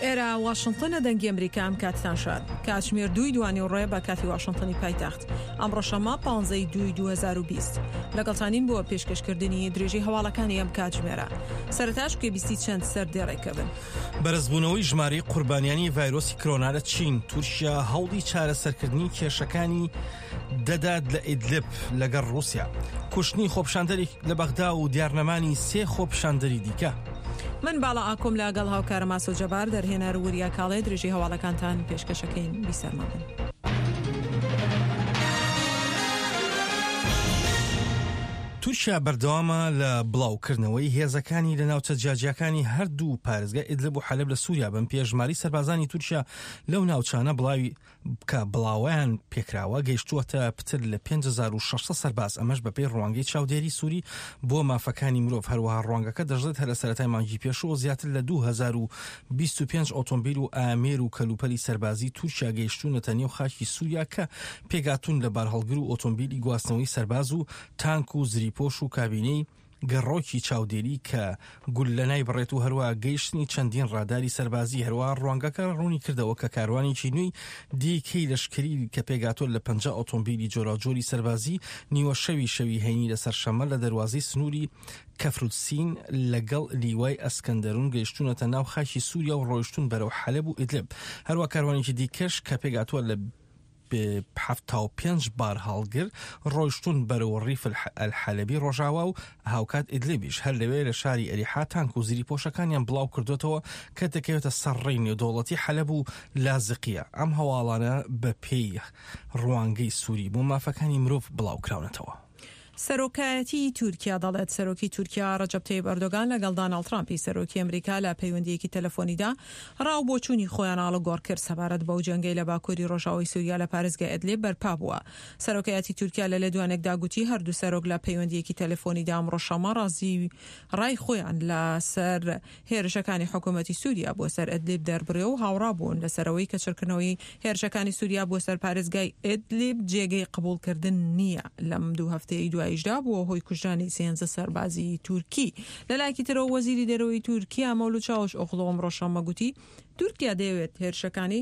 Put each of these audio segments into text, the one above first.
ئێرە واشنتنە دەنگی ئەمریکا ئەم کاتتان شاد کاتژمێر دووی دوانی ڕێ بە کاتی واشنتنی پایتەخت ئەمڕۆ شەممە پانزەی دووی 2020 لەگەڵتانین بۆ پێشکەشکردنی درێژەی هەواڵەکانی ئەم کاتژمێرە سەرەتاش گوێبیستی چەند سەردێڕێکە بن. بەرزبوونەوەی ژمارەی قوربانیانی ڤایرۆسی کرۆنا لە چین، تورکیا هەوڵی چارەسەرکردنی کێشەکانی دەدات لە ئیدلب لەگەڵ ڕووسیا، کوشتنی خۆپیشاندەرێک لە بەغدا و دیارنەمانی سێ خۆپیشاندەری دیکە. من باڵا ئاکۆم لە گەڵ هاوکارم ئاسۆ جەبار، دەرهێنەر وریا کاڵێ درێژەی هەواڵەکانتان پێشکەشەکەین بیسەرمان بن. تورکیا بەردەوامە لە بڵاوکردنەوەی هێزەکانی لە ناوچە جیاجیاکانی هەردوو پارێزگای ئیدلب و حەلەب لە سووریا بەم پێیە ژمارەی سەربازانی تورکیا لەو ناوچانە بڵاوی کە بڵاوەیان پێکراوە گەیشتووەتە پتر لە 5600 سەرباز ئەمەش بەپێی ڕوانگەی چاودێری سووری بۆ مافەکانی مرۆڤ هەروەها ڕوانگەکە دەشڵێت هەر لە سەرەتای مانگی پێشوو زیاتر لە 2025 ئۆتۆمبیل و ئامێر و کەلوپەلی سەربازی تورکیا گەیشتوونەتە نێو خاکی سووریا کە پێکهاتوون لە بارهەڵگر و ئۆتۆمبیلی گواستنەوەی سەرباز و تانک و زریپۆش و کابینەی گەڕۆکی چاودێری کە گوللە نایبڕێت و هەروەها گەیشتنی چەندین ڕاداری سەربازی هەروەها ڕوانگەکە ڕوونی کردەوە کە کاروانێکی نوێی دیکەی لەشکری کە پێکهاتووە لە 50 ئۆتۆمبیلی جۆراوجۆری سەربازی نیوە شەوی شەوی هەینی لەسەر شەممە لە دەروازەی سنووری کەفرودسین لەگەڵ لیوای ئەسکەندەرون گەیشتوونەتە ناو خاکی سووریا و ڕۆیشتوون بەرەو حەلەب و ئیدلب هەروە کاروانێکی دیکەش کە پێکهاتووە لە 75 بارهەڵگر ڕۆیشتوون بەرەو ڕیف ئەلحەلەبی ڕۆژاوا و هاوکات ئیدلیبیش هەر لەوێ لە شاری ئەریحا تانک و زریپۆشەکانیان بڵاو کردوێتەوە کە دەکەوێتە سەر ڕێی نێودەوڵەتی حەلەب و لازقیە ئەم هەواڵانە بە پێی ڕوانگەی سووری بۆ مافەکانی مرۆڤ بڵاو کراونەتەوە. سەرۆکایەتیی تورکیا دەڵێت، سەرۆکی تورکیا رەجەب تەیب ئەردۆگان لەگەڵ داناڵد ترامپی سەرۆکی ئەمریکا لە پەیوەندییەکی تەلەفۆنیدا را و بۆچوونی خۆیان ئاڵوگۆڕ کرد سەبارەت بەو جەنگەی لە باکووری رۆژاوای سوریا لە پارێزگای ئەدلیب بەرپا بووە. سەرۆکایەتی تورکیا لە لێدوانێکدا گوتی، هەردوو سەرۆک لە پەیوەندییەکی تەلەفۆنیدا ئەمڕۆ شەممە رازی رای خۆیان لە سەر هێرشەکانی حکوومەتی سووریا بۆ سەر ئەدلیب دەربڕی و هاوڕا بوون لەسەر ئەوەی کە چڕکردنەوەی هێرشەکانی سووریا بۆ سەر پارێزگای ئەدلیب جێگەی قبوڵکردن نییە. لەم دوو هەفتەیەی دواییشدا بووە هۆی کوژرانی سێنزە سەربازی تورکی. لە لایەکی ترەوە وەزیری دەرەوەی تورکیا مەولود چاوشئۆغڵو ئەمڕۆ شەممە گوتی تورکیا دەیەوێت هێرشەکانی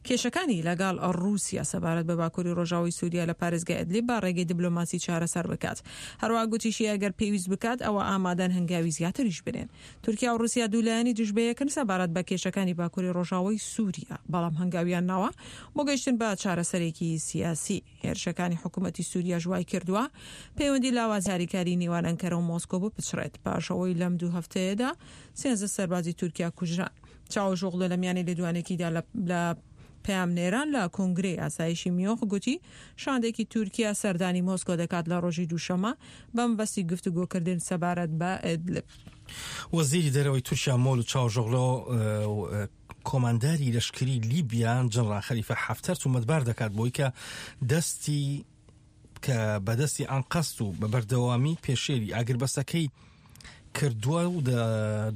کێشەکانی لەگەڵ ڕووسیا سەبارەت بە باکووری ڕۆژاوای سووریا لە پارێزگای ئەدلیب بە ڕێگەی دبلۆماسی چارەسەر بکات. هەروەها گوتیشی ئەگەر پێویست بکات ئەوا ئامادەن هەنگاوی زیاتریش بنێن. تورکیا و ڕووسیا دوو لایەنی دژ بەیەکن سەبارەت بە کێشەکانی باکووری ڕۆژاوای سووریا، بەڵام هەنگاویان ناوە بۆ گەیشتن بە چارەسەرێکی سیاسی. هێرشەکانی حکوومەتی سووریاش وای کردووە پەیوەندی لاوازی هاریکاری نێوان ئەنکەرە و مۆسکۆ بپچڕێت پاش ئەوەی لەم دوو هەفتەیەدا 13 سەربازی تورکیا کوژران. چاوشئۆغلو لە میانی لێدوانێکیدا لە پەیامنێران لە کۆنگرەی ئاسایشی میۆخ گوتی، شاندێکی تورکیا سەردانی مۆسکۆ دەکات لە ڕۆژی دووشەممە بە مەبەستی گفتوگۆکردن سەبارەت بە ئیدلب. وەزیری دەرەوەی تورکیا مەولود چاوشئۆغلۆ کۆمانداری لەشکری لیبیا جەنڕال خەلیفە حەفتەر تومەتبار دەکات بۆی کە دەستی کە بەدەستی ئەنقەست و بە بەردەوامی پێشێلی ئاگربەسەکەی کردووە و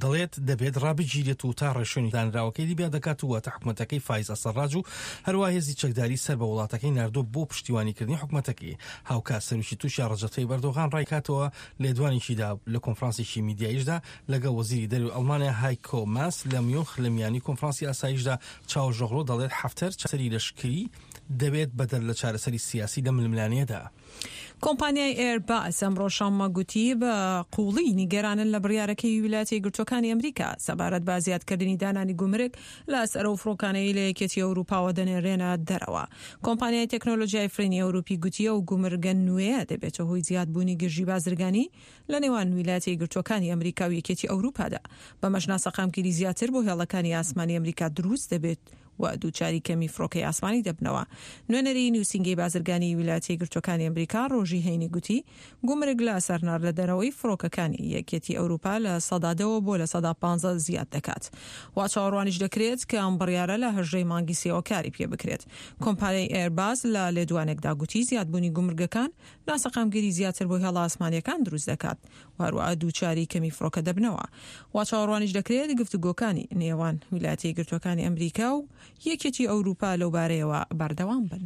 دەڵێت دەبێت ڕابگیرێت و تا ڕێشوێنی دانراوەکەی لیبیا دەکات و واتە حکومەتەکەی فایز ئەسەڕاج و هەروە هێزی چەکداری سەر بە وڵاتەکەی ناردووە بۆ پشتیوانیکردنی حکومەتەکەی هاوکات سەرۆکی تورکیا ڕەجەب تەیب ئەردۆغان ڕایکاتەوە لێدوانێکیدا لە کۆنفرانسێکی میدیاییشدا لەگەڵ وەزیری دەرەوەی ئەڵمانیا هایکۆ ماس لە میونخ لە میانی کۆنفرانسی ئاسایشدا چاوشئۆغلۆ دەڵێت حەفتەر چارەسەری لەشکری دەبێت بەدەر لە چارەسەری سیاسی لەم ململانێیەدا. کۆمپانیای ئێرباس ئەمڕۆ شەممە گوتی بە قووڵی نیگەرانن لە بڕیارەکەی ویلایەتە یەکگرتووەکانی ئەمریکا سەبارەت بە زیادکردنی دانانی گومرگ لەسەر ئەو فڕۆکانەی لە یەکێتی ئەوروپاوە دەنێرێنە دەرەوە. کۆمپانیای تەکنۆلۆژیای فڕینی ئەوروپی گوتی ئەو گومرگە نوێیە دەبێتە هۆی زیادبوونی گرژی بازرگانی لە نێوان ویلایەتە یەکگرتووەکانی ئەمریکا و یەکێتی ئەوروپادا، بەمەش ناسەقامگیری زیاتر بۆ هێڵەکانی ئاسمانی ئەمریکا دروست دەبێت. و دووچاری کەمی فڕۆکەی ئاسمانی دەبنەوە. نوێنەری نووسینگەی بازرگانیی ویلایەتە یەکگرتووەکانی ئەمریکا ڕۆژی هەینی گوتی، گومرگ لە سەر ناردنەدەرەوەی فڕۆکەکانی یەکیەتی ئەوروپا لە سەدا دەوە بۆ 15% زیاد دەکات. وا چاوەڕوانیش دەکرێت کە ئەم بڕیارە لە 18 ی مانگی سێوە کاری پێ بکرێت. کۆمپانیای ئێرباس لە لێدوانێکدا گوتی، زیادبوونی گومرگەکان ناسەقامگیری زیاتر بۆ هێڵە ئاسمانییەکان دروست دەکات. و هەروەها دووچاری کەمی فڕۆکە دەبنەوە. وا چاوەڕوانیش دەکرێت گفتوگۆکانی نێوان ویلایەتە یەکگرتووەکانی ئەمریکا و یەکێتی ئەوروپا لەوبارەیەوە بەردەوام بن.